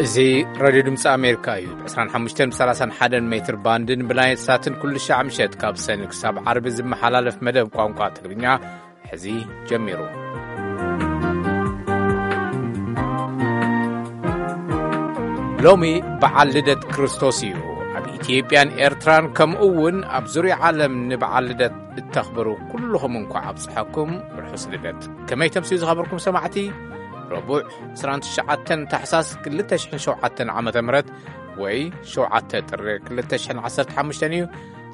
እዚ ሬድዮ ድምፂ ኣሜሪካ እዩ። ብ ዕስራን ሓሙሽተን ብ ሰላሳን ሓደን ሜትር ባንድን ብናይል ሳትን ኩሉ ሻዕ ምሸት ካብ ሰኒ ክሳብ ዓርቢ ዝመሓላለፍ መደብ ቋንቋ ትግርኛ ሕዚ ጀሚሩ። ሎሚ በዓል ልደት ክርስቶስ እዩ። ኣብ ኢትዮጵያን ኤርትራን ከምኡ እውን ኣብ ዙርያ ዓለም ንበዓል ልደት እተኽብሩ ኩልኹም እንኳዕ ኣብጽሐኩም። ርሑስ ልደት። ከመይ ተምስዩ ዝኸበርኩም ሰማዕቲ? ረቡዕ ዕስራን ትሽዓተን ታሕሳስ ክልተ ሽሕን ሸውዓተን ዓመተ ምህረት ወይ ሸውዓተ ጥሪ ክልተ ሽሕን ዓሰርተ ሓሙሽተን እዩ።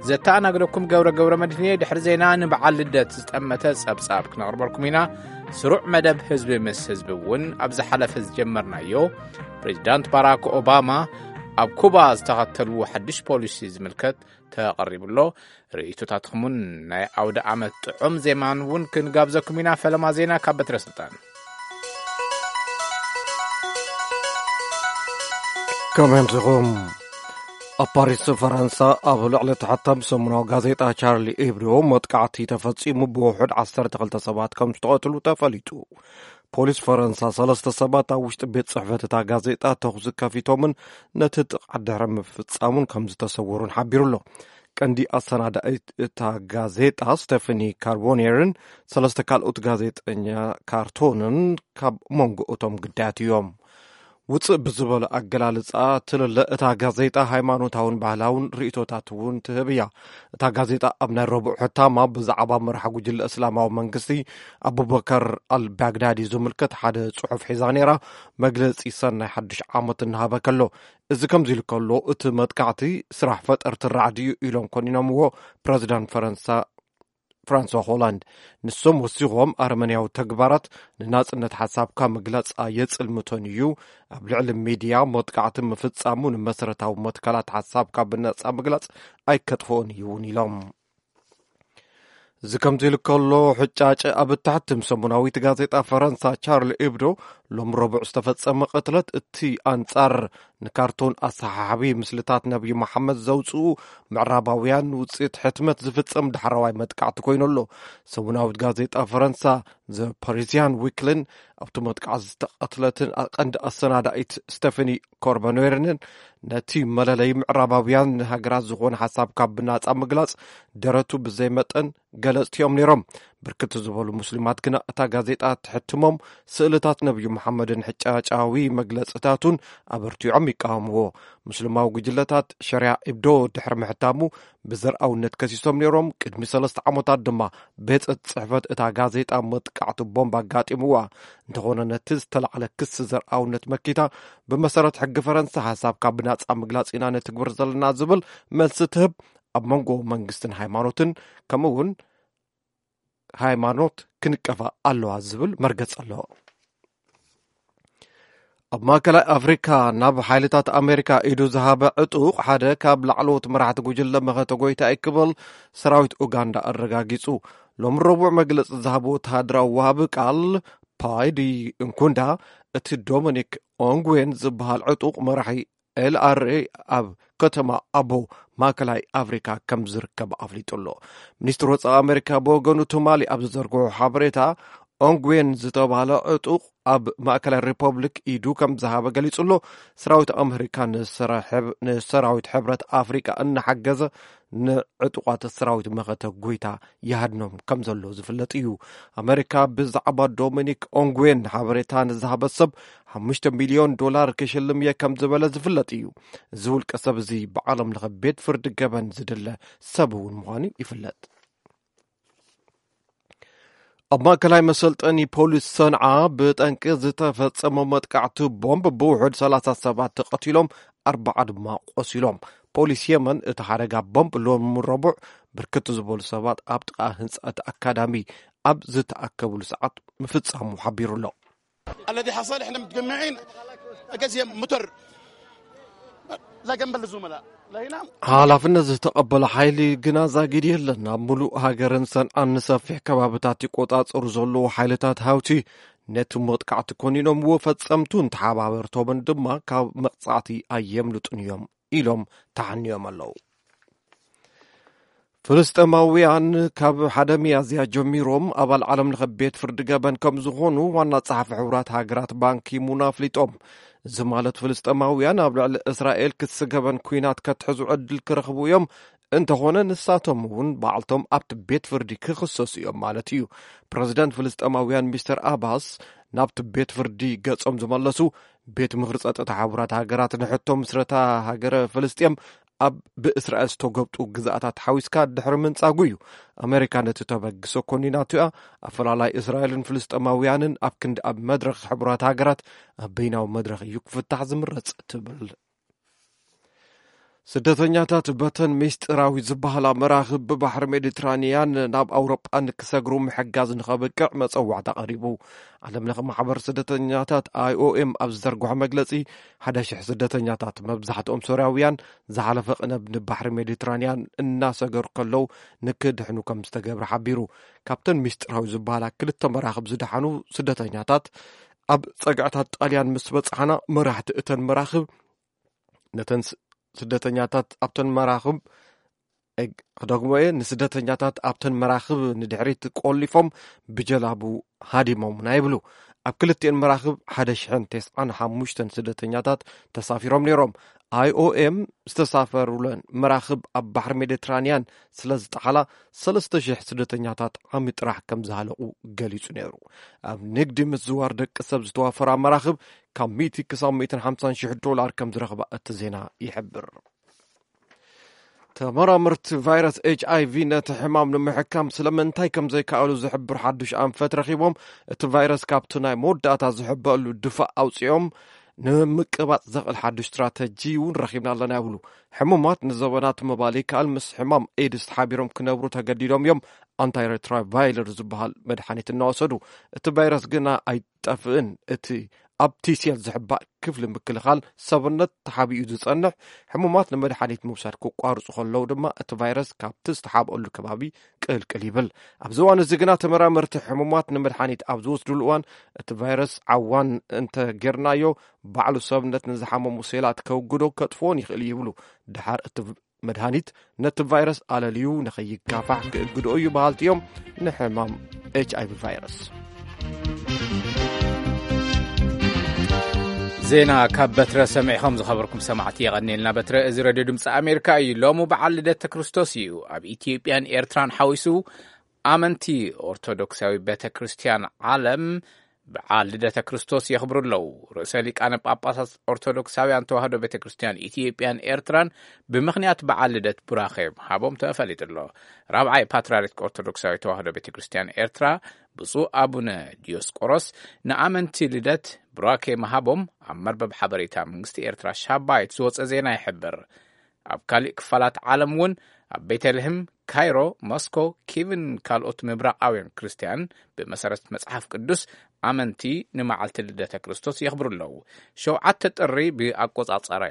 ዘተኣናግደኩም ገብረ ገብረ መድህን እየ። ድሕሪ ዜና ንበዓል ልደት ዝጠመተ ጸብጻብ ክነቕርበልኩም ኢና። ስሩዕ መደብ ህዝቢ ምስ ህዝቢ እውን ኣብ ዝሓለፈ ዝጀመርናዮ ፕሬዚዳንት ባራክ ኦባማ ኣብ ኩባ ዝተኸተልዎ ሓድሽ ፖሊሲ ዝምልከት ተቐሪቡ ኣሎ። ርእይቶታትኩምን ናይ ኣውደ ዓመት ጥዑም ዜማን እውን ክንጋብዘኩም ኢና። ፈለማ ዜና ካብ በትረ ስልጣን። ከመይ ኣምሲኹም? ኣብ ፓሪስ ፈረንሳ ኣብ ልዕሊ እቲ ሕታም ሰሙናዊ ጋዜጣ ቻርሊ ኤብዶ መጥቃዕቲ ተፈጺሙ ብውሑድ ዓሰርተ ክልተ ሰባት ከም ዝተቐትሉ ተፈሊጡ። ፖሊስ ፈረንሳ ሰለስተ ሰባት ኣብ ውሽጢ ቤት ጽሕፈት እታ ጋዜጣ ተኹሲ ከፊቶምን ነቲ ጥቕዓት ድሕሪ ምፍጻሙን ከም ዝተሰወሩን ሓቢሩ ኣሎ። ቀንዲ ኣሰናዳኢት እታ ጋዜጣ ስቴፈኒ ካርቦኔርን ሰለስተ ካልኦት ጋዜጠኛ ካርቶንን ካብ መንጎ እቶም ግዳያት እዮም። ውፅእ ብዝበለ ኣገላልፃ ትልለ እታ ጋዜጣ ሃይማኖታውን ባህላውን ርእቶታት እውን ትህብ እያ። እታ ጋዜጣ ኣብ ናይ ረቡዕ ሕታማ ብዛዕባ መራሕ ጉጅለ እስላማዊ መንግስቲ ኣቡበከር ኣልባግዳዲ ዝምልከት ሓደ ጽሑፍ ሒዛ ነይራ። መግለጺ ሰናይ ሓድሽ ዓመት እናሃበ ከሎ፣ እዚ ከምዚ ኢሉ ከሎ፣ እቲ መጥቃዕቲ ስራሕ ፈጠርቲ ራዕዲ እዩ ኢሎም ኮኒኖምዎ ፕረዚዳንት ፈረንሳ ፍራንሷ ሆላንድ። ንሶም ወሲኾም፣ ኣረመንያዊ ተግባራት ንናጽነት ሓሳብካ ምግላጽ ኣየጽልምቶን እዩ፣ ኣብ ልዕሊ ሚድያ መጥቃዕቲ ምፍጻሙ ንመሰረታዊ መትከላት ሓሳብካ ብነጻ ምግላጽ ኣይከጥፍኦን እዩ እውን ኢሎም። እዚ ከምዚ ኢሉ ከሎ፣ ሕጫጨ ኣብ እትሕትም ሰሙናዊት ጋዜጣ ፈረንሳ ቻርሊ ኤብዶ ሎም ረቡዕ ዝተፈጸመ ቅትለት፣ እቲ ኣንጻር ንካርቶን ኣሰሓሓቢ ምስልታት ነብዩ መሓመድ ዘውጽኡ ምዕራባውያን ውጽኢት ሕትመት ዝፍጸም ዳሕረዋይ መጥቃዕቲ ኮይኑ ኣሎ። ሰሙናዊት ጋዜጣ ፈረንሳ ዘ ፓሪዚያን ዊክልን ኣብቲ መጥቃዕቲ ዝተቐትለትን ቀንዲ ኣሰናዳኢት ስቴፈኒ ኮርበኖርንን ነቲ መለለይ ምዕራባውያን ሃገራት ዝኾነ ሓሳብ ካብ ብናጻ ምግላጽ ደረቱ ብዘይ መጠን ገለጽቲ እዮም ነይሮም። ብርክት ዝበሉ ሙስሊማት ግና እታ ጋዜጣ ትሕትሞም ስእልታት ነብዩ መሓመድን ሕጫጫዊ መግለጽታቱን ኣበርቲዖም ይቃወምዎ። ሙስሊማዊ ጉጅለታት ሸሪያ ኢብዶ ድሕሪ ምሕታሙ ብዘርኣውነት ከሲሶም ነይሮም። ቅድሚ ሰለስተ ዓመታት ድማ ቤት ጽሕፈት እታ ጋዜጣ መጥቃዕቲ ቦምብ ኣጋጢምዋ። እንተኾነ ነቲ ዝተላዕለ ክሲ ዘርኣውነት መኪታ ብመሰረት ሕጊ ፈረንሳ ሓሳብካ ብናጻ ምግላጽ ኢና ነትግብር ዘለና ዝብል መልሲ ትህብ። ኣብ መንጎ መንግስትን ሃይማኖትን ከምኡ እውን ሃይማኖት ክንቀፋ ኣለዋ ዝብል መርገጽ ኣሎ። ኣብ ማእከላይ ኣፍሪካ ናብ ሓይልታት ኣሜሪካ ኢዱ ዝሃበ ዕጡቕ ሓደ ካብ ላዕለዎት መራሕቲ ጉጅለ መኸተ ጎይታ እዩ ክብል ሰራዊት ኡጋንዳ ኣረጋጊጹ። ሎም ረቡዕ መግለጺ ዝሃበ ወተሃደራዊ ወሃቢ ቃል ፓይዲ እንኩንዳ፣ እቲ ዶሚኒክ ኦንግዌን ዝበሃል ዕጡቕ መራሒ ኤልኣርኤ ኣብ ከተማ ኣቦ ማእከላይ ኣፍሪካ ከም ዝርከብ ኣፍሊጡ ኣሎ። ሚኒስትሪ ወፃኢ ኣሜሪካ ብወገኑ ትማሊ ኣብ ዝዘርግሖ ሓበሬታ፣ ኦንግዌን ዝተባህለ ዕጡቕ ኣብ ማእከላይ ሪፐብሊክ ኢዱ ከም ዝሃበ ገሊጹ ኣሎ። ሰራዊት ኣሜሪካ ንሰራሕብ-፣ ንሰራዊት ሕብረት ኣፍሪካ እናሓገዘ ንዕጡቓት ሰራዊት መኸተ ጎይታ ይሃድኖም ከም ዘሎ ዝፍለጥ እዩ። ኣሜሪካ ብዛዕባ ዶሚኒክ ኦንግዌን ሓበሬታ ንዝሃበ ሰብ ሓሙሽተ ሚልዮን ዶላር ክሽልም እየ ከም ዝበለ ዝፍለጥ እዩ። እዚ ውልቀ ሰብ እዚ ብዓለም ለኸ ቤት ፍርዲ ገበን ዝድለ ሰብ እውን ምዃኑ ይፍለጥ። ኣብ ማእከላይ መሰልጠኒ ፖሊስ ሰንዓ ብጠንቂ ዝተፈጸመ መጥቃዕቲ ቦምብ ብውሑድ ሰላሳ ሰባት ተቐቲሎም፣ ኣርባዓ ድማ ቆሲሎም። ፖሊስ የመን እቲ ሓደጋ ቦምብ ሎም ረቡዕ ብርክት ዝበሉ ሰባት ኣብ ጥቓ ህንጻ እቲ ኣካዳሚ ኣብ ዝተኣከብሉ ሰዓት ምፍጻሙ ሓቢሩ ኣሎ። الذي حصل، احنا متجمعين، أجهزة متر، لا جنب الزملاء، لا هنا. ሓላፍነት ዝተቐበለ ሓይሊ ግና ዛጊድ የለን። ኣብ ምሉእ ሃገርን ሰንዓን ንሰፊሕ ከባብታት ይቆጻጸሩ ዘለዉ ሓይልታት ሃውቲ ነቲ መጥቃዕቲ ኮኒኖምዎ፣ ፈጸምቱን ተሓባበርቶምን ድማ ካብ መቕጻዕቲ ኣየምልጡን እዮም ኢሎም ተሓንዮም ኣለዉ። ፍልስጤማውያን ካብ ሓደ ሚያዝያ ጀሚሮም ኣባል ዓለም ለኸ ቤት ፍርዲ ገበን ከም ዝኾኑ ዋና ጸሓፊ ሕቡራት ሃገራት ባንኪ ሙን ኣፍሊጦም። እዚ ማለት ፍልስጤማውያን ኣብ ልዕሊ እስራኤል ክስገበን ኲናት ከትሕዙ ዕድል ክረኽቡ እዮም፣ እንተኾነ ንሳቶም እውን ባዕልቶም ኣብቲ ቤት ፍርዲ ክኽሰሱ እዮም ማለት እዩ። ፕረዚደንት ፍልስጤማውያን ሚስተር ኣባስ ናብቲ ቤት ፍርዲ ገጾም ዝመለሱ፣ ቤት ምኽሪ ጸጥታ ሕቡራት ሃገራት ንሕቶ ምስረታ ሃገረ ፍልስጤም ኣብ ብእስራኤል ዝተጎብጡ ግዛኣታት ሓዊስካ ድሕሪ ምንጻጉ እዩ። ኣመሪካ ነቲ ተበግሶ ኮኒናቶ እያ። ኣፈላላይ እስራኤልን ፍልስጤማውያንን ኣብ ክንዲ ኣብ መድረኽ ሕቡራት ሃገራት ኣብ በይናዊ መድረኽ እዩ ክፍታሕ ዝምረጽ ትብል። ስደተኛታት በተን ሚስጢራዊ ዝበሃላ መራኽብ ብባሕሪ ሜዲትራንያን ናብ ኣውሮጳ ንክሰግሩ ምሕጋዝ ንኸብቅዕ መጸዋዕታ ቀሪቡ። ዓለም ለኸ ማሕበር ስደተኛታት ኣይ ኦ ኤም ኣብ ዝዘርግሖ መግለጺ፣ ሓደ ሽሕ ስደተኛታት፣ መብዛሕትኦም ሶርያውያን፣ ዝሓለፈ ቅነ ንባሕሪ ሜዲትራንያን እናሰገሩ ከለዉ ንክድሕኑ ከም ዝተገብረ ሓቢሩ። ካብተን ሚስጢራዊ ዝበሃላ ክልተ መራኽብ ዝደሓኑ ስደተኛታት፣ ኣብ ጸግዕታት ጣልያን ምስ በጻሕና፣ መራሕቲ እተን መራኽብ ነተን ስ-፣ ስደተኛታት ኣብተን መራኽብ፣ እግ-፣ ክደግሞ እየ፣ ንስደተኛታት ኣብተን መራኽብ ንድሕሪት ቆሊፎም ብጀላቡ ሃዲሞምና ይብሉ። ኣብ ክልቲኤን መራኽብ ሓደ ሽሕን ተስዓን ሓሙሽተን ስደተኛታት ተሳፊሮም ነይሮም። ኣይ ኦ ኤም ዝተሳፈሩለን መራኽብ ኣብ ባሕሪ ሜዲትራንያን ስለ ዝጠሓላ፣ ሰለስተ ሽሕ ስደተኛታት ዓሚ ጥራሕ ከም ዝሃለቑ ገሊጹ ነይሩ። ኣብ ንግዲ ምዝዋር ደቂ ሰብ ዝተዋፈራ መራኽብ ካብ ሚእቲ ክሳብ ሚእትን ሓምሳን ሽሕ ዶላር ከም ዝረኽባ እቲ ዜና ይሕብር። ተመራመርቲ ቫይረስ ኤች ኣይ ቪ ነቲ ሕማም ንምሕካም ስለምንታይ ከም ዘይከኣሉ ዝሕብር ሓዱሽ ኣንፈት ረኺቦም፣ እቲ ቫይረስ ካብቲ ናይ መወዳእታ ዝሕበአሉ ድፋዕ ኣውጺኦም ንምቅባጽ ዘኽእል ሓዱሽ ስትራተጂ እውን ረኺብና ኣለና ይብሉ። ሕሙማት ንዘበናት ምባል ይከኣል፣ ምስ ሕማም ኤድስ ተሓቢሮም ክነብሩ ተገዲዶም እዮም፣ ኣንታይሬትራቫይለር ዝበሃል መድሓኒት እናወሰዱ። እቲ ቫይረስ ግና ኣይጠፍእን። እቲ ኣብ ቲ ሴል ዝሕባእ ክፍሊ ምክልኻል ሰብነት ተሓቢኡ ዝጸንሕ፣ ሕሙማት ንመድሓኒት ምውሳድ ክቋርጹ ከለዉ ድማ እቲ ቫይረስ ካብቲ ዝተሓብአሉ ከባቢ ቅልቅል ይብል። ኣብዚ እዋን እዚ ግና ተመራመርቲ ሕሙማት ንመድሓኒት ኣብ ዝወስድሉ እዋን እቲ ቫይረስ ዓዋን እንተ ጌርናዮ፣ ባዕሉ ሰብነት ንዝሓመሙ ሴላት ከውግዶ ከጥፍኦን ይኽእል ይብሉ። ድሓር እቲ መድሃኒት ነቲ ቫይረስ ኣለልዩ ንኸይጋፋሕ ክእግድኦ እዩ በሃልቲ እዮም ንሕማም ኤች ኣይ ቪ ቫይረስ። ዜና ካብ በትረ ሰሚዕኹም ዝኸበርኩም ሰማዕቲ የቐንየልና። በትረ፣ እዚ ሬድዮ ድምፂ ኣሜሪካ እዩ። ሎሚ በዓል ልደተ ክርስቶስ እዩ። ኣብ ኢትዮጵያን ኤርትራን ሓዊሱ ኣመንቲ ኦርቶዶክሳዊ ቤተ ክርስቲያን ዓለም በዓል ልደተ ክርስቶስ የኽብሩ ኣለዉ። ርእሰ ሊቃነ ጳጳሳት ኦርቶዶክሳውያን ተዋህዶ ቤተ ክርስቲያን ኢትዮጵያን ኤርትራን ብምኽንያት በዓል ልደት ቡራኸ ምሃቦም ተፈሊጡ ኣሎ። ራብዓይ ፓትርያርክ ኦርቶዶክሳዊ ተዋህዶ ቤተ ክርስቲያን ኤርትራ ብፁዕ ኣቡነ ዲዮስቆሮስ ንኣመንቲ ልደት ቡራኬ ምሃቦም ኣብ መርበብ ሓበሬታ መንግስቲ ኤርትራ ሻባይት ዝወጸ ዜና ይሕብር። ኣብ ካልእ ክፋላት ዓለም እውን ኣብ ቤተልሔም፣ ካይሮ፣ ሞስኮ፣ ኪቭን ካልኦት ምብራቓውያን ክርስትያን ብመሰረት መጽሓፍ ቅዱስ ኣመንቲ ንመዓልቲ ልደተ ክርስቶስ የኽብሩ ኣለዉ። ሸውዓተ ጥሪ ብኣቆጻጸራ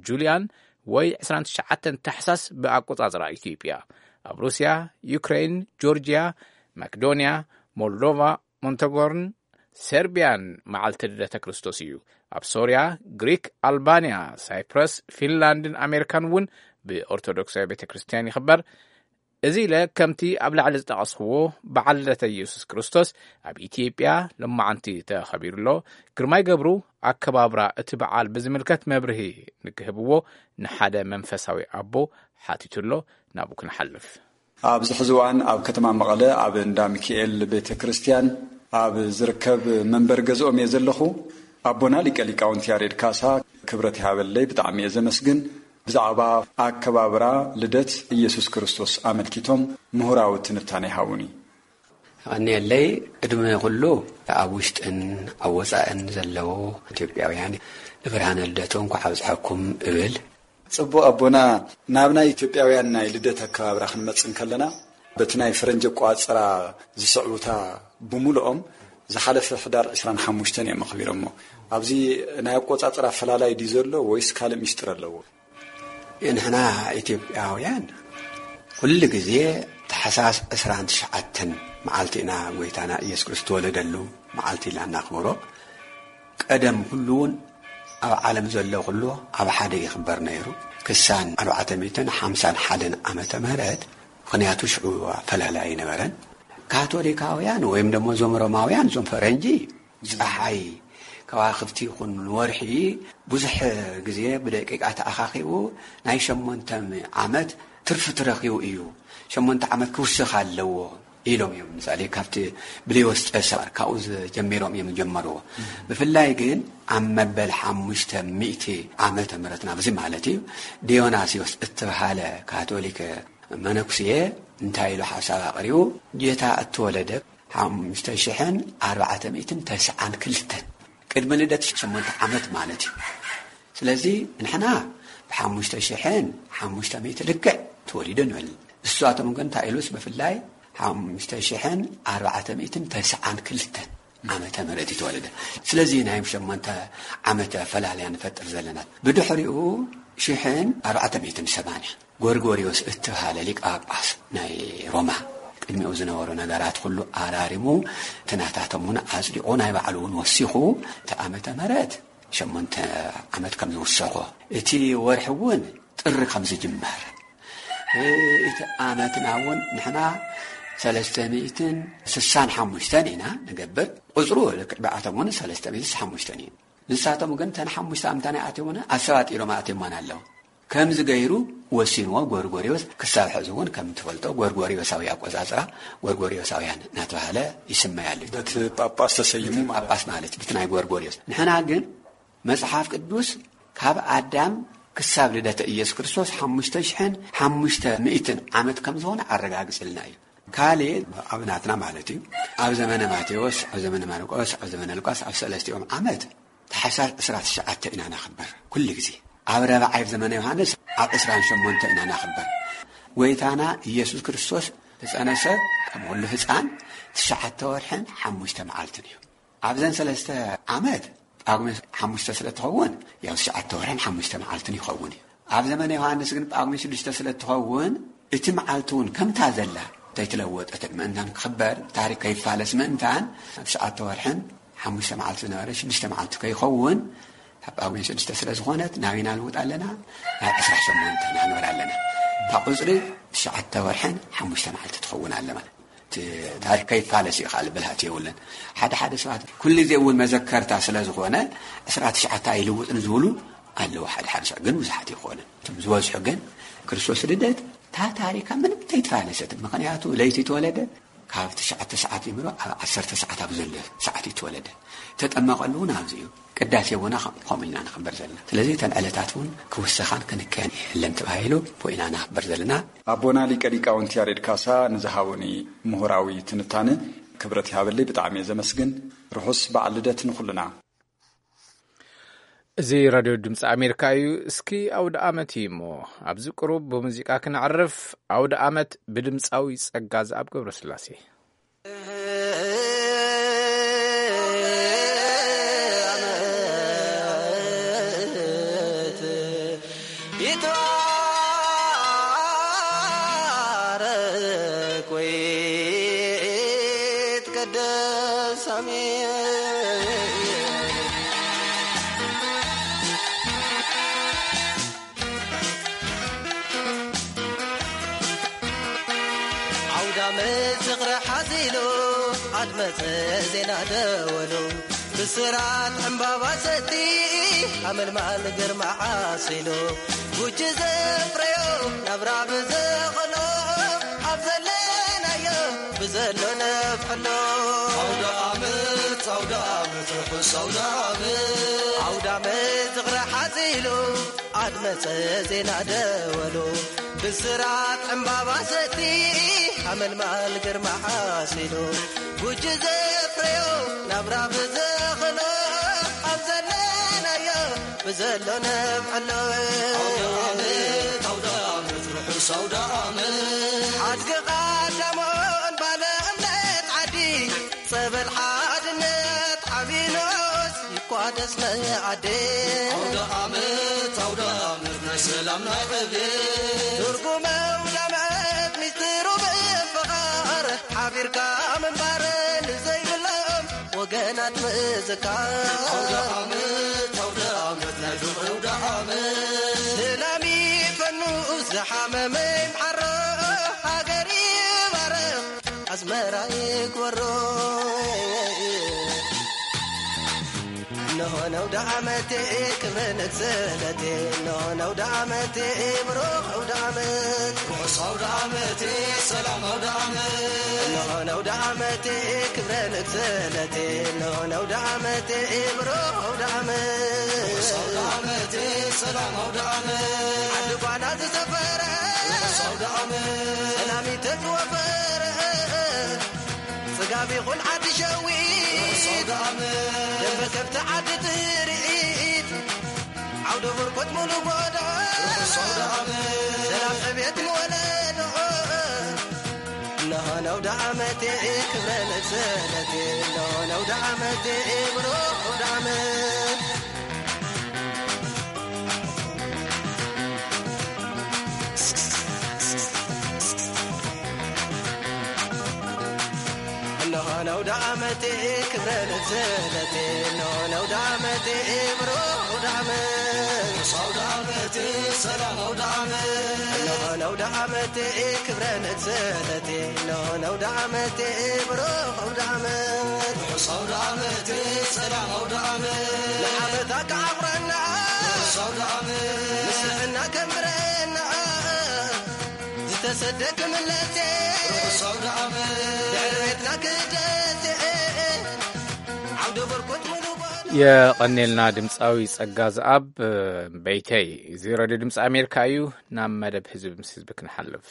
ጁልያን ወይ ዕስራን ትሽዓተን ታሕሳስ ብኣቆጻጽራ ኢትዮጵያ። ኣብ ሩስያ፣ ዩክሬን፣ ጆርጅያ፣ መክዶንያ፣ ሞልዶቫ፣ ሞንተጎርን ሰርቢያን መዓልቲ ልደተ ክርስቶስ እዩ። ኣብ ሶርያ፣ ግሪክ፣ ኣልባንያ፣ ሳይፕረስ፣ ፊንላንድን ኣሜሪካን እውን ብኦርቶዶክሳዊ ቤተ ክርስቲያን ይኽበር። እዚ ኢለ ከምቲ ኣብ ላዕሊ ዝጠቐስኽዎ በዓል ልደተ ኢየሱስ ክርስቶስ ኣብ ኢትዮጵያ ሎማዓንቲ ተኸቢሩ ኣሎ። ግርማይ ገብሩ ኣከባብራ እቲ በዓል ብዝምልከት መብርሂ ንክህብዎ ንሓደ መንፈሳዊ ኣቦ ሓቲቱ ኣሎ። ናብኡ ክንሓልፍ። ኣብዚ ሕዚ እዋን ኣብ ከተማ መቐለ ኣብ እንዳ ሚካኤል ቤተ ክርስቲያን ኣብ ዝርከብ መንበሪ ገዝኦም እየ ዘለኹ። ኣቦና ሊቀ ሊቃውንቲ ያሬድ ካሳ ክብረት ይሃበለይ፣ ብጣዕሚ እየ ዘመስግን። ብዛዕባ ኣከባብራ ልደት ኢየሱስ ክርስቶስ ኣመልኪቶም ምሁራዊ ትንታነ ይሃቡኒ። የቐንየለይ። ቅድሚ ኩሉ ኣብ ውሽጥን ኣብ ወጻእን ዘለዉ ኢትዮጵያውያን ንብርሃነ ልደቱ እንኳዕ ኣብጽሐኩም እብል። ጽቡቕ ኣቦና፣ ናብ ናይ ኢትዮጵያውያን ናይ ልደት ኣከባብራ ክንመጽእ እንከለና፣ በቲ ናይ ፈረንጂ ኣቆጻጽራ ዝስዕቡታ ብምሉኦም ዝሓለፈ ሕዳር ዕስራን ሓሙሽተን እዮም ኣኽቢሮሞ። ኣብዚ ናይ ኣቆጻጽራ ኣፈላላይ ድዩ ዘሎ ወይስ ካልእ ሚስጥር ኣለዎ? ንሕና ኢትዮጵያውያን ኩሉ ግዜ ታሕሳስ ዕስራን ትሽዓተን መዓልቲ ኢና ጎይታና ኢየሱስ ክርስቶስ ዝተወለደሉ መዓልቲ ኢልና እናኽብሮ። ቀደም ኩሉ እውን ኣብ ዓለም ዘሎ ኩሉ ኣብ ሓደ ይኽበር ነይሩ። ክሳን ኣርባዕተ ሚእትን ሓምሳን ሓደን ዓመተ ምህረት፣ ምኽንያቱ ሽዑ ኣፈላላይ ኣይነበረን። ካቶሊካውያን ወይም ደሞ እዞም ሮማውያን፣ እዞም ፈረንጂ፣ ጸሓይ ከዋኽብቲ ይኹን ንወርሒ ብዙሕ ግዜ ብደቂቃ ተኣኻኺቡ ናይ ሸሞንተ ዓመት ትርፊ ትረኺቡ እዩ። ሸሞንተ ዓመት ክውስኽ ኣለዎ ኢሎም እዮም። ምሳሌ ካብቲ ብሌዎስ ቄሳር ካብኡ ጀሚሮም እዮም ጀመርዎ። ብፍላይ ግን ኣብ መበል ሓሙሽተ ሚእቲ ዓመተ ምህረት ናብዚ ማለት እዩ፣ ዲዮናስዮስ እትበሃለ ካቶሊክ መነኩስየ እንታይ ኢሉ ሓሳብ ኣቕሪቡ? ጌታ እተወለደ ሓሙሽተ ሽሕን ኣርባዕተ ሚእትን ተስዓን ክልተን፣ ቅድሚ ልደት ሸሞንተ ዓመት ማለት እዩ። ስለዚ ንሕና ብሓሙሽተ ሽሕን ሓሙሽተ ሚእቲ ልክዕ ተወሊዱ ንብል። እሳቶም ግን እንታይ ኢሉስ ብፍላይ ሓሙሽተ ሽሕን ኣርባዕተ ሚእትን ተስዓን ክልተን ዓመተ ምህረት እዩ ተወለደ። ስለዚ ናይ ሸሞንተ ዓመት ኣፈላልያ ንፈጥር ዘለና። ብድሕሪኡ ሽሕን ኣርባዕተ ሚእትን ሰማንያ ጎርጎርዮስ እተባሃለ ሊቀ ጳጳስ ናይ ሮማ ቅድሚኡ ዝነበሩ ነገራት ኩሉ ኣራሪሙ፣ ትናታቶም እውን ኣጽዲቑ፣ ናይ ባዕሉ እውን ወሲኹ፣ እቲ ዓመተ ምህረት ሸሞንተ ዓመት ከም ዝውሰኾ፣ እቲ ወርሒ እውን ጥሪ ከም ዝጅመር፣ እቲ ዓመትና እውን ንሕና ሰለስተ ሚእትን ስሳን ሓሙሽተን ኢና ንገብር። ቁጽሩ ልክዕ ብኣቶም እውን ሰለስተ ሚእትን ስሳን ሓሙሽተን እዩ። ንሳቶም ግን ተን ሓሙሽተ ኣምታ ናይ ኣትዮም እውን ኣሰባጢሮም ኣትዮማን ኣለዉ። ከምዚ ገይሩ ወሲንዎ ጎርጎርዮስ። ክሳብ ሕዚ እውን ከም ትፈልጦ ጎርጎርዮሳዊ ኣቆጻጽራ፣ ጎርጎርዮሳውያን እናተባህለ ይስመይ ኣሎ። በቲ ጳጳስ ተሰይሙ እቲ ማለት ጳጳስ ማለት እዩ፣ በቲ ናይ ጎርጎርዮስ። ንሕና ግን መጽሓፍ ቅዱስ ካብ ኣዳም ክሳብ ልደተ ኢየሱስ ክርስቶስ ሓሙሽተ ሽሕን ሓሙሽተ ሚእትን ዓመት ከም ዝኾነ ኣረጋግጽልና እዩ። ካልእ ኣብ ናትና ማለት እዩ፣ ኣብ ዘመነ ማቴዎስ፣ ኣብ ዘመነ ማርቆስ፣ ኣብ ዘመነ ሉቃስ ኣብ ሰለስቲኦም ዓመት ታሕሳስ ዕስራ ትሽዓተ ኢና ነኽብር ኩሉ ግዜ። ኣብ ረብዓይ ዘመነ ዮሃንስ ኣብ ዕስራን ሸሞንተ ኢና ነኽብር። ጎይታና ኢየሱስ ክርስቶስ ዝጸነሰ ከም ኩሉ ህጻን ትሽዓተ ወርሕን ሓሙሽተ መዓልትን እዩ። ኣብዘን ሰለስተ ዓመት ጳጉሜ ሓሙሽተ ስለ ትኸውን፣ ያው ትሽዓተ ወርሕን ሓሙሽተ መዓልትን ይኸውን እዩ። ኣብ ዘመነ ዮሃንስ ግን ጳጉሜ ሽዱሽተ ስለ ትኸውን፣ እቲ መዓልቲ እውን ከምታ ዘላ እንተይተለወጠት ምእንታን ክኽበር፣ ታሪክ ከይፋለስ ምእንታን፣ ኣብ ትሽዓተ ወርሕን ሓሙሽተ መዓልቲ ዝነበረ ሽዱሽተ መዓልቲ ከይኸውን፣ ኣብ ጳጉሜ ሽዱሽተ ስለ ዝኾነት ናቢና ልውጥ ኣለና፣ ናብ ዕስራ ሸሞንተ ናግበር ኣለና። እታ ቁጽሪ ትሽዓተ ወርሕን ሓሙሽተ መዓልቲ ትኸውን ኣለ ማለት። እቲ ታሪክ ከይፋለስ እዩ፣ ካልእ ብልሃት የብሉን። ሓደ ሓደ ሰባት ኩሉ ግዜ እውን መዘከርታ ስለ ዝኾነ ዕስራ ትሽዓተ ኣይልውጥን ዝብሉ ኣለዉ። ሓደ ሓደ ሰብ ግን ብዙሓት ይኾኑ። እቶም ዝበዝሑ ግን ክርስቶስ ልደት እታ ታሪካ ምንም ተይተፋለሰት። ምኽንያቱ ለይቲ ተወለደ፣ ካብ ትሽዓተ ሰዓት ጀሚሩ ኣብ ዓሰርተ ሰዓት ኣብ ዘሎ ሰዓት እዩ ተወለደ። ተጠመቐሉ እውን ኣብዚ እዩ። ቅዳሴ ቡና ከም-፣ ከምኡ ኢልና ንኽበር ዘለና። ስለዚ እተን ዕለታት እውን ክውሰኻን ክንከያን የለን ተባሂሉ ብኡ ኢና ንኽበር ዘለና። ኣቦና ሊቀ ሊቃውንቲ ያሬድ ካሳ ንዝሃቡኒ ምሁራዊ ትንታነ ክብረት ይሃበለይ፣ ብጣዕሚ እየ ዘመስግን። ርሑስ በዓል ልደት ንኹልና። እዚ ራድዮ ድምፂ ኣሜሪካ እዩ። እስኪ ኣውደ ኣመት እዩ እሞ ኣብዚ ቅሩብ ብሙዚቃ ክነዕርፍ። ኣውደ ኣመት ብድምፃዊ ጸጋ ዝኣብ ገብረስላሴ። ይትባረክ ወይ ይትቀደስ፣ ኣሜን። ዓውደ ዓመት ዝኽሪ ሓዚሉ፣ ኣድመፀ ዜና ደወሉ። ብስራት ዕምባባ ሰቲ፣ ኣመልማል ግርማ ዓሲሉ። ጉጂ ዘፍረዮ፣ ናብራ ብዘኸሎ፣ ኣብ ዘለናዮ ብዘሎ ነብዕሎ። ዓውደ ዓመት፣ ዓውደ ዓመት፣ ርሑስ ዓውደ ዓመት። ዓውደ ዓመት ዝኽሪ ሓዚሉ፣ ኣድመፀ ዜና ደወሉ። ብስራት ዕምባባ ሰቲ፣ ኣመልማል ግርማ ዓሲሉ። ጉጂ ዘፍረዮ፣ ናብራ ብዘኸሎ፣ ኣብ ዘለናዮ ብዘሎ ነብዕሎ። ዓውደ ዓመት፣ ዓውደ ዓመት፣ ርሑስ ዓውደ ዓመት። ሓድጊ ቐዳሞን ባለ እምነት ዓዲ፣ ጸበል ሓድነት ዓቢኖስ ይቋደስ መኣዲ። ዓውደ ዓመት፣ ዓውደ ዓመት፣ ናይ ሰላም ናይ ዕቤት። ትርጉም ዓውደ ዓመት፣ ሚስጥሩ ምፍቓር፣ ሓቢርካ ምንባር፣ ንዘይብሎም ወገናት ምዝካር። ዓውደ ዓመት፣ ዓውደ ዓመት፣ ናይ ፍቕሪ ዓውደ ዓመት። ሰላም ይፈኑ፣ ዝሓመመ ይምሓሮ፣ ሃገር ይባረኽ፣ ኣስመራ ይግበሮ። እነሆ ነውደ ዓመቴ ክብረ ንግሰለቴ፣ እነሆ ነውደ ዓመቴ ብሩኽ ኣውደ ዓመት። ርሑስ ኣውደ ዓመቴ፣ ሰላም ኣውደ ዓመት። እነሆ ነውደ ዓመቴ ክብረ ንግሰለቴ፣ እነሆ ነውደ ዓመቴ ብሩኽ ኣውደ ዓመት። ርሑስ ኣውደ ዓመቴ፣ ሰላም ኣውደ ዓመት። ዓዲ ጓና ዝሰፈረ፣ ርሑስ ኣውደ ዓመት። ሰላም ይተዝወፈረ፣ ጽጋብ ይኹን ዓዲ ሸዊት፣ ደንበ ከብቲ ዓዲ ጥሪት፣ ዓውደ ብርኮት ሙሉ ጎዶ፣ ሰላም ዕቤት ንወለዶ። እነሆ ነውደ ዓመቴ ክብረ ንግሰለቴ፣ እነሆ ነውደ ዓመቴ ብሩኽ ኣውደ ዓመት። እነሆ ነውደ ዓመቴ ክብረ ንግሰለቴ፣ እነሆ ነውደ ዓመቴ ብሩኽ ኣውደ ዓመት። ርሑስ ኣውደ ዓመቴ፣ ሰላም ኣውደ ዓመት። እነሆ ነውደ ዓመቴ ክብረ ንግሰለቴ፣ እነሆ ነውደ ዓመቴ ብሩኽ ኣውደ ዓመት። ርሑስ ኣውደ ዓመቴ፣ ሰላም ኣውደ ዓመት። ንዓመታ ከዓቑረና፣ ርሑስ ኣውደ ዓመት። ምስሕና ከንብረና፣ ዝተሰደ ክምለስ፣ ርሑስ ኣውደ ዓመት። ድሕሪ ቤትና ክደስ፣ ዓውደ በርኮት ሙሉ ጓል። የቐኔልና ድምፃዊ ጸጋ ዝኣብ በይተይ። እዚ ሬድዮ ድምፂ ኣሜሪካ እዩ። ናብ መደብ ህዝቢ ምስ ህዝቢ ክንሓልፍ።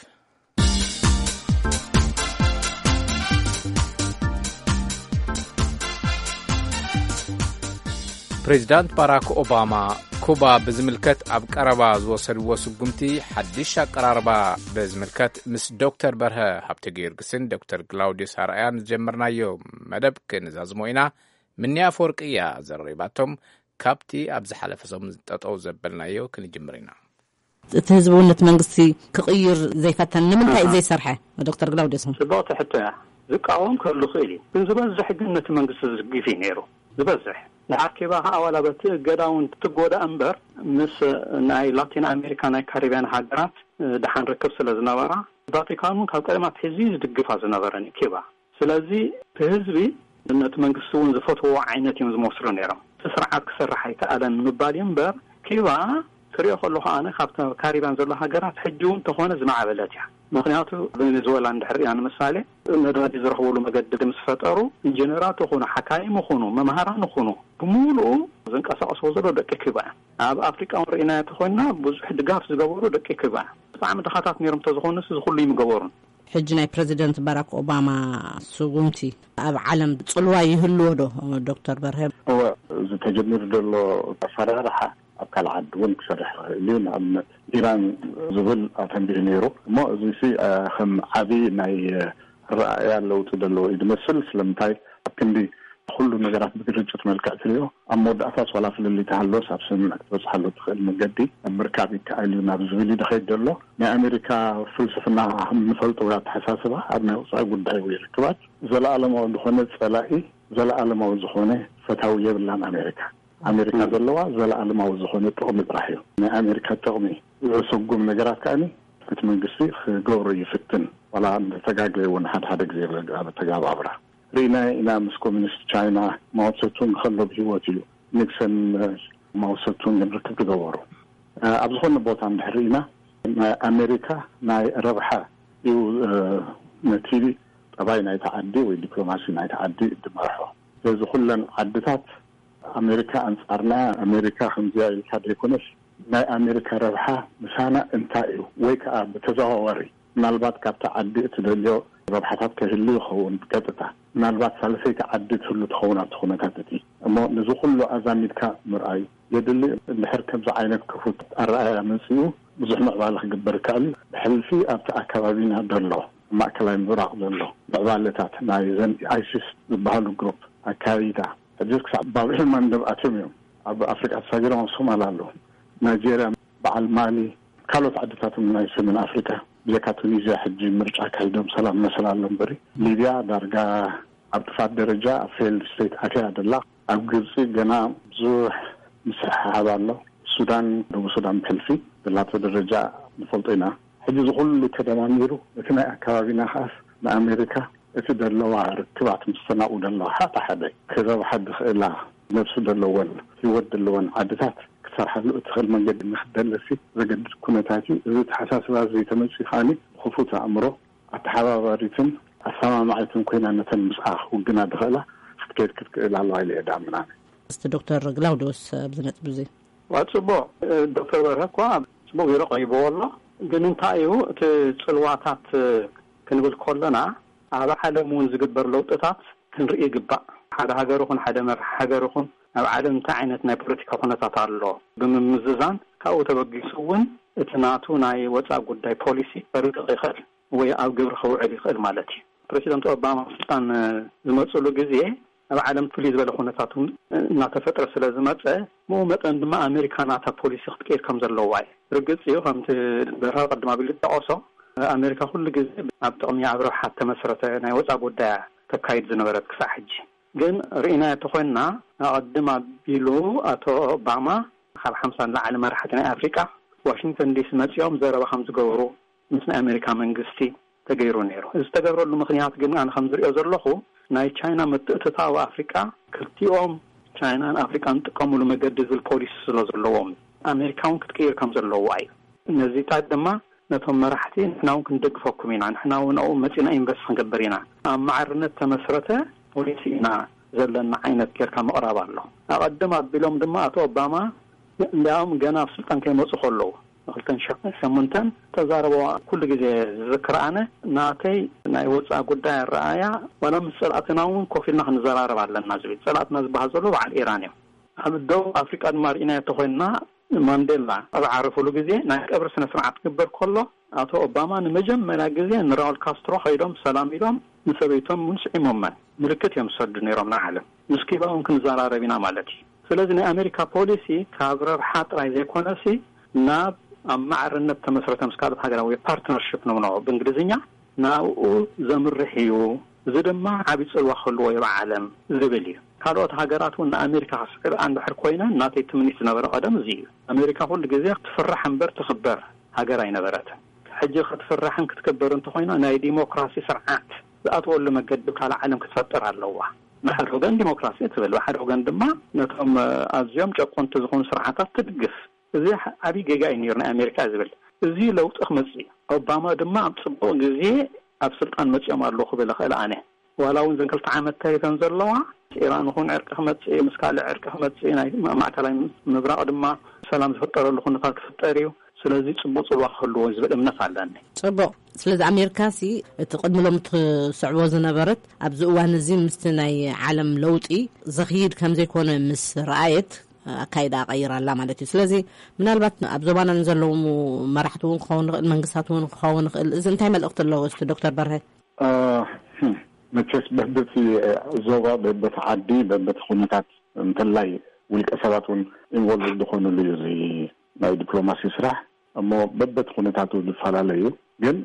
ፕሬዚዳንት ባራክ ኦባማ ኩባ ብዝምልከት ኣብ ቀረባ ዝወሰድዎ ስጉምቲ ሓድሽ ኣቀራርባ ብዝምልከት ምስ ዶክተር በርሀ ሃብተ ጊዮርጊስን ዶክተር ግላውዲዮስ ኣርኣያን ዝጀመርናዮ መደብ ክንዛዝሞ ኢና። ምንያ ኣፈወርቂ እያ ዘረሪባቶም። ካብቲ ኣብ ዝሓለፈ ሰሙን ጠጠው ዘበልናዮ ክንጅምር ኢና። እቲ ህዝቢ እውን ነቲ መንግስቲ ክቕይር ዘይፈተን ንምንታይ እዩ ዘይሰርሐ? ዶክተር ግላውዲዮስ እውን። ጽብቕቲ ሕቶ እያ። ዝቃወም ክህሉ ይኽእል እዩ፣ ግን ዝበዝሕ ግን ነቲ መንግስቲ ዝድግፍ እዩ ነይሩ። ዝበዝሕ ድሓር ኪባ ከዓ ዋላ በቲ እገዳ እውን ትጎዳእ እምበር፣ ምስ ናይ ላቲን ኣሜሪካ ናይ ካሪብያን ሃገራት ድሓን ርክብ ስለ ዝነበራ፣ ቫቲካን እውን ካብ ቀደም ኣትሒዙ ዝድግፋ ዝነበረን እዩ ኪባ። ስለዚ እቲ ህዝቢ ነቲ መንግስቲ እውን ዝፈትዎ ዓይነት እዮም ዝመስሉ ነይሮም። እቲ ስርዓት ክሰርሕ ኣይከኣለን ምባል እዩ እምበር፣ ኪባ ትሪኦ ከለኹ ኣነ ካብተ ካሪብያን ዘሎ ሃገራት ሕጂ እውን ተኾነ ዝማዕበለት እያ። ምኽንያቱ ቬኔዙዌላ እንድሕር ሪኣ ንምሳሌ፣ ነዳዲ ዝረኽበሉ መገዲ ምስ ፈጠሩ፣ ኢንጂነራት ይኹኑ፣ ሓካይም ይኹኑ፣ መምሃራን ይኹኑ፣ ብምሉኡ ዘንቀሳቐስዎ ዘሎ ደቂ ኪባ እዮም። ኣብ ኣፍሪቃ እውን ርኢናዮ ተኾይንና ብዙሕ ድጋፍ ዝገበሩ ደቂ ኪባ እዮም። ብጣዕሚ ድኻታት ነይሮም ተዝኾኑስ እዚ ኩሉ ይምገበሩን። ሕጂ ናይ ፕረዚደንት ባራክ ኦባማ ስጉምቲ ኣብ ዓለም ጽልዋ ይህልዎ ዶ? ዶክተር በርሀ። እወ፣ እዚ ተጀሚሩ ዘሎ ኣፈራርሓ ኣብ ካልእ ዓዲ እውን ክሰርሕ ይኽእል እዩ። ንኣብነት ኢራን ዝብል ኣተንቢሁ ነይሩ። እሞ እዚ ሲ፣ እ፣ ከም ዓቢ ናይ፣ እ፣ ኣረኣእያ ለውጢ ዘለዎ እዩ ዝመስል። ስለምንታይ ኣብ ክንዲ ኩሉ ነገራት ብግርጭት መልክዕ ትሪኦ፣ ኣብ መወዳእታስ ዋላ ፍልልይ ተሃሎስ ኣብ ስምምዕ ክትበጽሓሉ ትኽእል መገዲ ምርካብ ይከኣል እዩ ናብ ዝብል እዩ ዝኸይድ ዘሎ። ናይ ኣሜሪካ ፍልስፍና ከም እንፈልጦ ወይ ኣተሓሳስባ ኣብ ናይ ወጻኢ ጉዳይ ወይ ርክባት ዘለኣለማዊ ዝኾነ ጸላኢ፣ ዘለኣለማዊ ዝኾነ ፈታዊ የብላን ኣሜሪካ። ኣሜሪካ ዘለዋ ዘለኣለማዊ ዝኾነ ጥቕሚ ጥራሕ እዩ። ናይ ኣሜሪካ ጥቕሚ ዘሰጉም ነገራት ከኣኒ እቲ መንግስቲ ክገብሮ ይፍትን፣ ዋላ እንተተጋገየ እውን ሓደ ሓደ ግዜ ኣብ ኣተጋባብራ ርኢና ኢና። ምስ ኮሚኒስት ቻይና ማኦትሰቱንግ ከሎ ብህይወት እዩ ኒክሰን ማኦትሰቱንግ ርክብ ዝገበሩ። ኣብ ዝኾነ ቦታ እንድሕር ርኢና ናይ ኣሜሪካ ናይ ረብሓ እዩ ነቲ ጠባይ ናይቲ ዓዲ ወይ ዲፕሎማሲ ናይቲ ዓዲ ዝመርሖ። ስለዚ ኩለን ዓድታት ኣሜሪካ ኣንጻርና፣ ኣሜሪካ ከምዚኣ ኢልካ ዘይኮነስ ናይ ኣሜሪካ ረብሓ ምሳና እንታይ እዩ ወይ ከዓ ብተዘዋዋሪ ምናልባት ካብቲ ዓዲ እትደልዮ ረብሓታት ከህሉ ይኸውን ብቀጥታ። ምናልባት ሳልሰይቲ ዓዲ ትህሉ ትኸውን ኣብቲ ኩነታት እቲ። እሞ ነዚ ኩሉ ኣዛሚድካ ምርኣይ የድሊ። እንድሕር ከምዚ ዓይነት ክፉት ኣረኣእያ መጺኡ ብዙሕ ምዕባለ ክግበር ይከኣል እዩ። ብሕልፊ ኣብቲ ኣከባቢና ዘሎ ማእከላይ ምብራቕ ዘሎ ምዕባለታት ናይ ዘን ኣይሲስ ዝበሃሉ ግሩፕ ኣካይዳ ሕጂ ክሳብ ባብ ኤልማንደብ ኣትዮም እዮም። ኣብ ኣፍሪቃ ተሳጊሮም ኣብ ሶማል ኣለዉ። ናይጄርያ፣ በዓል ማሊ፣ ካልኦት ዓድታት እውን ናይ ሰሜን ኣፍሪቃ ብዘካ ቱኒዝያ ሕጂ ምርጫ ኣካይዶም ሰላም መሰል ኣሎ እምበሪ ሊብያ ዳርጋ ኣብ ጥፋት ደረጃ ኣብ ፌይልድ ስቴት ኣትያ ደላ። ኣብ ግብፂ ገና ብዙሕ ምስሕሓብ ኣሎ። ሱዳን፣ ደቡብ ሱዳን ብሕልፊ ዘላቶ ደረጃ ንፈልጦ ኢና። ሕጂ እዚ ኩሉ ተደማሚሩ እቲ ናይ ኣከባቢና ከኣስ ንኣሜሪካ እቲ ደለዋ ርክባት ምስ ተናቑ ደለዋ ሓታ ሓደ ክረብሓ ዝኽእላ ነብሱ ዘለወን ህይወት ዘለወን ዓድታት ክትሰርሓሉ እትኽእል መንገዲ ንክትደልሲ ዘገድድ ኩነታት እዩ። እዚ ተሓሳስባ እዚ ተመፅኡ ከዓኒ ብክፉት ኣእምሮ ኣተሓባባሪትን ኣሰማማዒትን ኮይና ነተን ምስኣ ክውግና ዝኽእላ ክትከይድ ክትክእል ኣለዋ ኢለ እየ ዝኣምን ኣነ። እስቲ ዶክተር ግላውዲዮስ ኣብዚ ነጥቢ እዚ። ዋ፣ ፅቡቅ። ዶክተር በርሀ እኳ ፅቡቅ ገይሩ ቀሪብዎ ኣሎ። ግን እንታይ እዩ እቲ ፅልዋታት ክንብል ከለና ኣብ ዓለም እውን ዝግበር ለውጥታት ክንርኢ ይግባእ። ሓደ ሃገር ይኹን ሓደ መራሕ ሃገር ይኹን ኣብ ዓለም እንታይ ዓይነት ናይ ፖለቲካ ኩነታት ኣሎ ብምምዝዛን ካብኡ ተበጊሱ እውን እቲ ናቱ ናይ ወፃኢ ጉዳይ ፖሊሲ ከርቅቕ ይኽእል ወይ ኣብ ግብሪ ክውዕል ይኽእል ማለት እዩ። ፕሬዚደንት ኦባማ ስልጣን ዝመፅሉ ግዜ ኣብ ዓለም ፍልይ ዝበለ ኩነታት እውን እናተፈጥረ ስለ ዝመፀ፣ ብኡ መጠን ድማ ኣሜሪካ ናታ ፖሊሲ ክትቀይር ከም ዘለዋ እዩ። ርግፅ እዩ፣ ከምቲ በርሀ ቅድም ኣቢሉ ዝጠቐሶ ኣሜሪካ ኩሉ ግዜ ኣብ ጥቕሚ ኣብ ረብሓ ተመስረተ ናይ ወፃ ጉዳያ ተካይድ ዝነበረት ክሳዕ ሕጂ። ግን ርኢና ተኮይንና ኣቐድም ኣቢሉ ኣቶ ኦባማ ካብ ሓምሳ ንላዕሊ መራሕቲ ናይ ኣፍሪቃ ዋሽንግተን ዲሲ መፂኦም ዘረባ ከም ዝገብሩ ምስ ናይ ኣሜሪካ መንግስቲ ተገይሩ ነይሩ። እዚ ዝተገብረሉ ምክንያት ግን ኣነ ከም ዝሪኦ ዘለኹ ናይ ቻይና ምትእትታው ኣፍሪቃ ክልቲኦም ቻይናን ኣፍሪቃን ዝጥቀምሉ መገዲ ዝብል ፖሊሲ ስለ ዘለዎም ኣሜሪካ እውን ክትቅይር ከም ዘለዋ እዩ። ነዚታት ድማ ነቶም መራሕቲ ንሕና እውን ክንደግፈኩም ኢና፣ ንሕና እውን ኣብኡ መፂና ኢንቨስት ክንገብር ኢና፣ ኣብ ማዕርነት ተመስረተ ፖሊሲ ኢና ዘለና ዓይነት ጌርካ ምቕራብ ኣሎ። ኣቐድም ኣቢሎም ድማ ኣቶ ኦባማ እንዲያውም ገና ኣብ ስልጣን ከይመፁ ከለዉ ንክልተን ሸሞንተን ተዛረበዋ ኩሉ ግዜ ዝዝክር ኣነ ናተይ ናይ ወፃ ጉዳይ ኣረኣያ ዋላ ምስ ፀላእትና እውን ኮፍ ኢልና ክንዘራረብ ኣለና ዝብል። ፀላእትና ዝበሃል ዘሎ በዓል ኢራን እዮም። ኣብ ደቡብ ኣፍሪቃ ድማ ርኢናዮ ተኮይንና ማንዴላ ኣብ ዓረፍሉ ግዜ ናይ ቀብሪ ስነ ስርዓት ክግበር ከሎ ኣቶ ኦባማ ንመጀመርያ ግዜ ንራውል ካስትሮ ከይዶም ሰላም ኢሎም ንሰበይቶም እውን ስዒሞመን ምልክት እዮም ዝሰዱ ነይሮም ንዓለም። ምስ ኪባ እውን ክንዘራረብ ኢና ማለት እዩ። ስለዚ ናይ ኣሜሪካ ፖሊሲ ካብ ረብሓ ጥራይ ዘይኮነሲ ናብ ኣብ ማዕርነት ተመስረተ ምስ ካልኦት ሃገራት ወይ ፓርትነርሽፕ ንብሎ ብእንግሊዝኛ ናብኡ ዘምርሕ እዩ። እዚ ድማ ዓብዪ ፅልዋ ክህልዎ እዩ ኣብ ዓለም ዝብል እዩ። ካልኦት ሃገራት እውን ንኣሜሪካ ክስዕብኣ እንድሕር ኮይነን ናተይ ትምኒት ዝነበረ ቀደም እዚ እዩ። ኣሜሪካ ኩሉ ግዜ ትፍራሕ እምበር ትኽበር ሃገር ኣይነበረትን። ሕጂ ክትፍራሕን ክትክበርን እንተኮይና ናይ ዲሞክራሲ ስርዓት ዝኣትወሉ መገዲ ካልእ ዓለም ክትፈጥር ኣለዋ። ብሓደ ወገን ዲሞክራሲ ትብል፣ ብሓደ ወገን ድማ ነቶም ኣዝዮም ጨቆንቲ ዝኾኑ ስርዓታት ትድግፍ። እዚ ዓብዪ ጌጋ እዩ ነይሩ ናይ ኣሜሪካ ዝብል። እዚ ለውጢ ክመፅእ እዩ። ኦባማ ድማ ኣብ ፅቡቕ ግዜ ኣብ ስልጣን መፅኦም ኣለዉ ክብል እኽእል ኣነ። ዋላ እውን ዘን ክልተ ዓመት ተሪፈን ዘለዋ ኢራን ይኹን ዕርቂ ክመፅእ እዩ፣ ምስ ካልእ ዕርቂ ክመፅእ እዩ፣ ናይ ማእከላይ ምብራቕ ድማ ሰላም ዝፍጠረሉ ኩነታት ክፍጠር እዩ። ስለዚ ፅቡቅ ፅልዋ ክህልዎ ዝብል እምነት ኣለኒ። ፅቡቅ። ስለዚ ኣሜሪካ ሲ እቲ ቅድሚ ሎም ትስዕቦ ዝነበረት ኣብዚ እዋን እዚ ምስቲ ናይ ዓለም ለውጢ ዘኽይድ ከም ዘይኮነ ምስ ረኣየት ኣካይዳ ቀይራ ኣላ ማለት እዩ። ስለዚ ምናልባት ኣብ ዞባና ንዘለዉ መራሕቲ እውን ክኸውን ይኽእል፣ መንግስታት እውን ክኸውን ይኽእል። እዚ እንታይ መልእኽቲ ኣለዎ እስቲ ዶክተር በርሀ? መቸስ በበቲ ዞባ በበቲ ዓዲ በበቲ ኩነታት እንተላይ ውልቀ ሰባት እውን ኢንቮልቭ ዝኾኑሉ እዩ እዚ ናይ ዲፕሎማሲ ስራሕ። እሞ በበቲ ኩነታቱ ዝፈላለ እዩ። ግን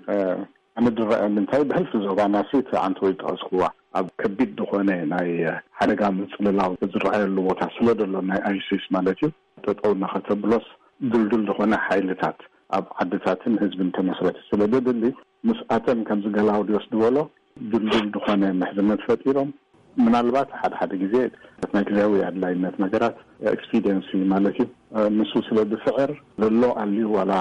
ኣነ ዝረኣየኒ እንታይ ብሕልፊ ዞባና ሲ እቲ ኣንቲ ወይ ዝጠቐስክዋ ኣብ ከቢድ ዝኾነ ናይ ሓደጋ ምፅልላው ዝረኣየሉ ቦታ ስለ ዘሎ ናይ ኣይሲስ ማለት እዩ ጠጠው እናኸተብሎስ ድልዱል ዝኾነ ሓይልታት ኣብ ዓድታትን ህዝብን ተመስረቲ ስለ ዘድሊ ምስኣተን ከምዚ ገላውዲዮስ ዝበሎ ድልዱል ዝኾነ ምሕዝነት ፈጢሮም ምናልባት ሓደ ሓደ ግዜ ናይ ግዜያዊ ኣድላይነት ነገራት ኤክስፒዲየንሲ ማለት እዩ ንሱ ስለ ዝስዕር ዘሎ ኣልዩ ዋላ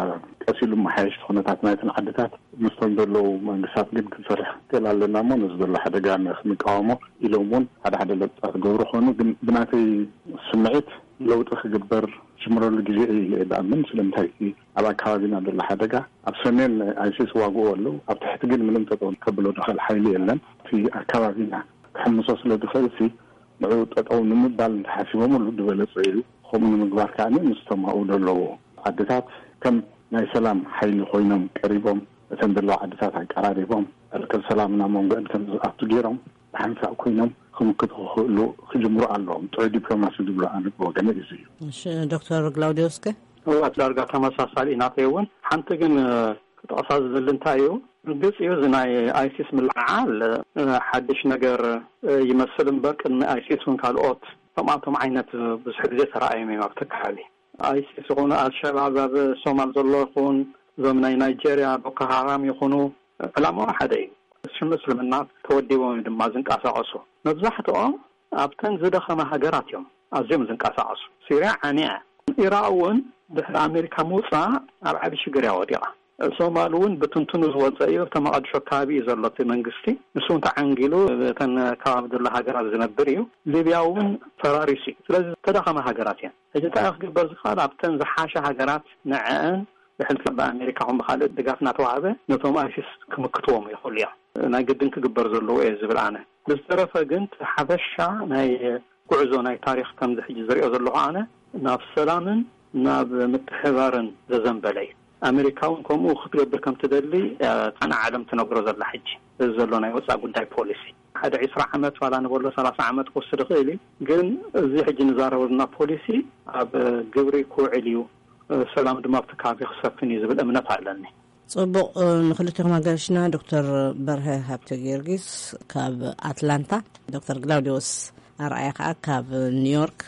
ቀሲሉ መሓየሽቲ ኩነታት ናይትን ዓድታት ምስቶም ዘለዉ መንግስታት ግን ክንሰርሕ ክእል ኣለና እሞ ነዚ ዘሎ ሓደጋ ክንቃወሞ ኢሎም እውን ሓደ ሓደ ለውጥታት ገብሩ ክኾኑ ግን ብናተይ ስምዒት ለውጢ ክግበር ዝጅምረሉ ግዜ እዩ ኢለ እየ ዝኣምን። ስለምንታይ እቲ ኣብ ኣካባቢና ዘሎ ሓደጋ ኣብ ሰሜን ኣይሲስ ዋግኡ ኣለዉ ኣብ ትሕቲ ግን ምንም ጠጠው ከብሎ ዝኽእል ሓይሊ የለን። እቲ ኣካባቢና ክሕምሶ ስለ ዝኽእል ሲ ንዑ ጠጠው ንምባል እንተሓሲቦምሉ ዝበለፀ እዩ። ከምኡ ንምግባር ከዓ ምስቶም ኣብኡ ዘለዉ ዓድታት ከም ናይ ሰላም ሓይሊ ኮይኖም ቀሪቦም እተን ዘለዋ ዓድታት ኣቀራሪቦም ዕርቂ ሰላም ናብ መንጎአን ከም ዝኣቱ ገይሮም ብሓንሳእ ኮይኖም ክምክቱ ክኽእሉ ክጅምሩ ኣለዎም። ጥዑይ ዲፕሎማሲ ዝብሎ ኣነ ብወገነ እዚ እዩ። እሺ ዶክተር ግላውዲዮስከ? እዋት ዳርጋ ተመሳሳሊ ናተይ እውን ሓንቲ ግን ክጠቕሳ ዝደሊ እንታይ እዩ ርግፅ እዩ እዚ ናይ ኣይሲስ ምልዓል ሓድሽ ነገር ይመስል እምበር ቅድሚ ኣይሲስ እውን ካልኦት ከምኣቶም ዓይነት ብዙሕ ግዜ ተረኣዮም እዮም ኣብቲ ከባቢ ኣይሲስ ይኹን ኣልሸባብ ኣብ ሶማል ዘሎ ይኹን እዞም ናይ ናይጀርያ ቦኮ ሃራም ይኹኑ ዕላማኦም ሓደ እዩ። ሽም እስልምና ተወዲቦም እዮም ድማ ዝንቀሳቐሱ። መብዛሕትኦም ኣብተን ዝደኸማ ሃገራት እዮም ኣዝዮም ዝንቀሳቐሱ። ሲርያ ዓንያ እያ። ኢራቕ እውን ድሕሪ ኣሜሪካ ምውፃእ ኣብ ዓቢ ሽግር እያ ወዲቓ። ሶማል እውን ብትንትኑ ዝወፀ እዩ። ኣብቲ መቓድሾ ከባቢ እዩ ዘሎ እቲ መንግስቲ። ንሱ እውን ተዓንጊሉ እተን ከባቢ ዘሎ ሃገራት ዝነብር እዩ። ሊብያ እውን ፈራሪሱ እዩ። ስለዚ ዝተዳኸማ ሃገራት እየን። ሕጂ እንታይ ክግበር ዝኽእል? ኣብተን ዝሓሸ ሃገራት ንዐአን ብሕልፊ ብኣሜሪካ ኹን ብኻልእ ድጋፍ እናተዋህበ ነቶም ኣይሲስ ክምክትዎም ይኽእሉ እዮም። ናይ ግድን ክግበር ዘለዎ እየ ዝብል ኣነ። ብዝተረፈ ግን እቲ ሓፈሻ ናይ ጉዕዞ ናይ ታሪኽ ከምዚ ሕጂ ዝሪኦ ዘለኹ ኣነ ናብ ሰላምን ናብ ምትሕባርን ዘዘንበለ እዩ። ኣሜሪካ እውን ከምኡ ክትገብር ከም ትደሊ ኣነ ዓለም ትነግሮ ዘላ ሕጂ እዚ ዘሎ ናይ ወፃእ ጉዳይ ፖሊሲ ሓደ ዒስራ ዓመት ዋላ ንበሎ ሰላሳ ዓመት ክወስድ ይኽእል እዩ። ግን እዚ ሕጂ ንዛረበልና ፖሊሲ ኣብ ግብሪ ክውዕል እዩ። ሰላም ድማ ኣብቲ ከባቢ ክሰፍን እዩ ዝብል እምነት ኣለኒ። ጽቡቕ። ንክልቲኹም ኣጋይሽና ዶክተር በርሀ ሃብተ ጊዮርጊስ ካብ ኣትላንታ፣ ዶክተር ግላውዲዮስ ኣርኣያ ከዓ ካብ ኒውዮርክ።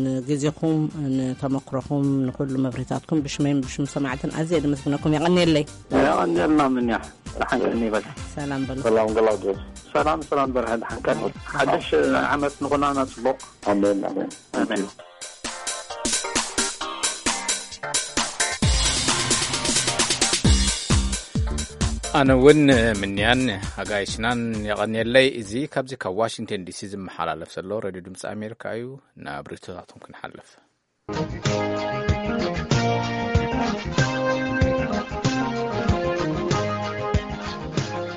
ንግዜኹም፣ ንተመክሮኹም፣ ንኩሉ መብርሂታትኩም ብሽመይን ብሽም ሰማዕትን ኣዝየ ድመስግነኩም። የቐንየለይ። የቐንየልና። ምንያ ደሓን ቀኒ ይበል። ሰላም በሉ። ሰላም ግላውዲዮስ። ሰላም ሰላም በርሀ፣ ደሓን ቀኒ። ሓድሽ ዓመት ንኹላና ጽቡቕ። ኣሜን ኣሜን። ኣሜን። ኣነ እውን ምንያን ኣጋይሽናን የቐንየለይ። እዚ ካብዚ ካብ ዋሽንግተን ዲሲ ዝመሓላለፍ ዘሎ ሬድዮ ድምፂ ኣሜሪካ እዩ። ናብ ርእይቶታቶም ክንሓልፍ።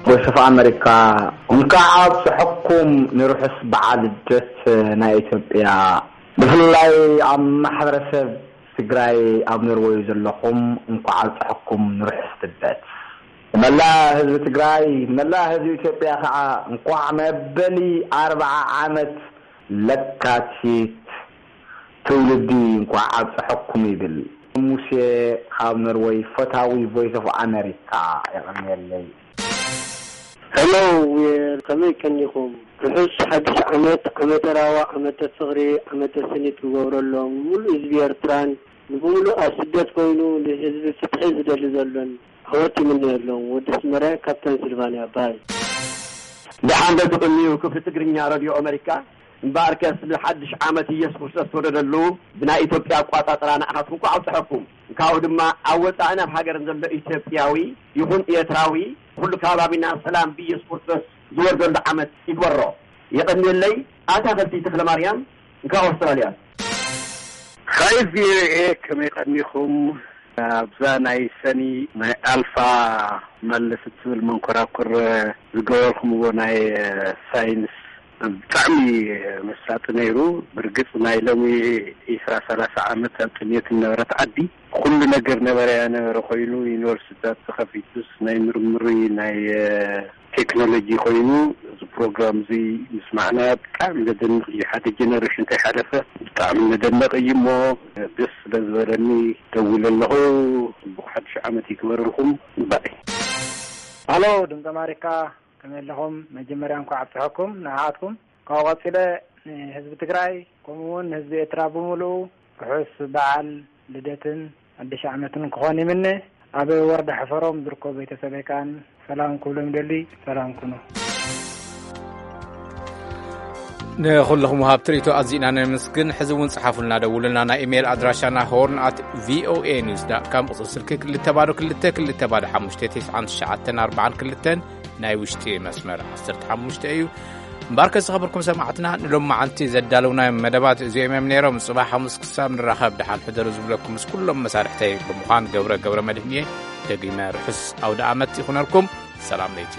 ቮይስ ኦፍ ኣመሪካ፣ እንኳዕ ኣብፀሐኩም ንርሑስ በዓል ልደት ናይ ኢትዮጵያ። ብፍላይ ኣብ ማሕበረሰብ ትግራይ ኣብ ኖርወይ ዘለኹም እንኳዕ ኣብፀሐኩም ንርሑስ ልደት። ንመላእ ህዝቢ ትግራይ፣ ንመላእ ህዝቢ ኢትዮጵያ ከዓ እንኳዕ መበሊ ኣርብዓ ዓመት ለካቲት ትውልዲ እንኳዕ ኣብፀሐኩም ይብል። ሙሴ ካብ ኖርወይ፣ ፈታዊ ቮይስ ኦፍ ኣመሪካ። የቐንየለይ። ሄሎ፣ ከመይ ቀኒኹም? ርሑስ ሓድሽ ዓመት፣ ዓመተ ራዋ፣ ዓመተ ፍቕሪ፣ ዓመተ ስኒት ክገብረሎም፣ ንሙሉእ ህዝቢ ኤርትራን፣ ንብሙሉእ ኣብ ስደት ኮይኑ ንህዝቢ ፍትሒ ዝደሊ ዘሎን፣ ዓወት ይምነየሎም። ወዲ ኣስመራ ካብ ፐንስልቫንያ። ባይ። ደሓን ዶ ትቕንዩ ክፍሊ ትግርኛ ረድዮ ኣመሪካ? እምበኣርከስ ንሓድሽ ዓመት ኢየሱስ ክርስቶስ ተወለደሉ ብናይ ኢትዮጵያ ኣቋጻጽራ ንዓኻትኩም እንኳዕ ኣብጽሐኩም። እንካኡ ድማ ኣብ ወጻእን ኣብ ሃገርን ዘሎ ኢትዮጵያዊ ይኹን ኤርትራዊ ኩሉ ከባቢና ሰላም ብኢየሱስ ክርስቶስ ዝወርደሉ ዓመት ይግበሮ። የቐንየለይ። ኣታ ፈልቲ ተኽለ ማርያም እንካ ኣውስትራልያ። ሀይ ቪኦኤ፣ ከመይ ቀኒኹም? ኣብዛ ናይ ሰኒ ናይ ኣልፋ መለስ እትብል መንኮራኩር ዝገበርኩምዎ ናይ ሳይንስ ብጣዕሚ መሳጢ ነይሩ። ብርግጽ ናይ ሎሚ ዒስራ ሰላሳ ዓመት ኣብ ጥሜት ዝነበረት ዓዲ ኩሉ ነገር ነበረያ ነበረ ኮይኑ፣ ዩኒቨርሲቲታት ተኸፊቱስ ናይ ምርምሪ ናይ ቴክኖሎጂ ኮይኑ፣ እዚ ፕሮግራም እዚ ምስማዕና ብጣዕሚ ዘደንቕ እዩ። ሓደ ጀነሬሽን ከይሓለፈ ብጣዕሚ ዘደንቕ እዩ። እሞ ደስ ስለ ዝበለኒ ደዊለ ኣለኹ። ጽቡቕ ሓድሽ ዓመት ይግበረልኩም። ባይ። ሃሎ ድምፂ ኣማሪካ፣ ከመይ ኣለኹም? መጀመርያ እንኳዕ ኣብፅሐኩም ንዓኣትኩም። ካብኡ ቀፂለ ንህዝቢ ትግራይ ከምኡ እውን ንህዝቢ ኤርትራ ብምሉኡ ርሑስ በዓል ልደትን ሓድሽ ዓመትን ክኾን ይምነ። ኣብ ወረዳ ሕፈሮም ዝርከቡ ቤተሰበይ ከኣን ሰላም ክብሎም ይደሊ። ሰላም ኩኑ። ንኹልኹም ወሃብቲ ርእይቶ ኣዚና ነመስግን። ሕዚ እውን ጸሓፉልና፣ ደውሉልና። ናይ ኢሜይል ኣድራሻና ሆርን ኣት ቪኦኤ ኒውስ ዳት ካም፣ ቁጽሪ ስልኪ ክልተ ባዶ ክልተ ክልተ ባዶ ሓሙሽተ ተስዓን ትሽዓተን ኣርባዓን ክልተን፣ ናይ ውሽጢ መስመር ዓሰርተ ሓሙሽተ እዩ። እምበኣርከ ዝኸበርኩም ሰማዕትና፣ ንሎሚ መዓልቲ ዘዳለውናዮም መደባት እዚኦም እዮም ነይሮም። ጽባሕ ሓሙስ ክሳብ ንራኸብ ደሓን ሕደሩ ዝብለኩም ምስ ኩሎም መሳርሕተይ ብምዃን ገብረ ገብረ መድህን እየ። ደጊመ ርሑስ ኣውደ ኣመት ይኹነልኩም። ሰላም ለይቲ።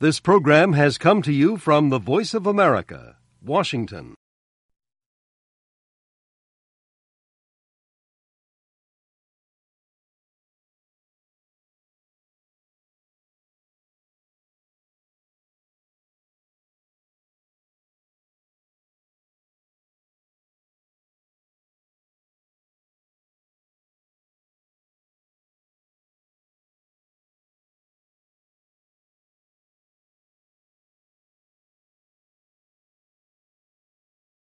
This program has come to you from the Voice of America, Washington.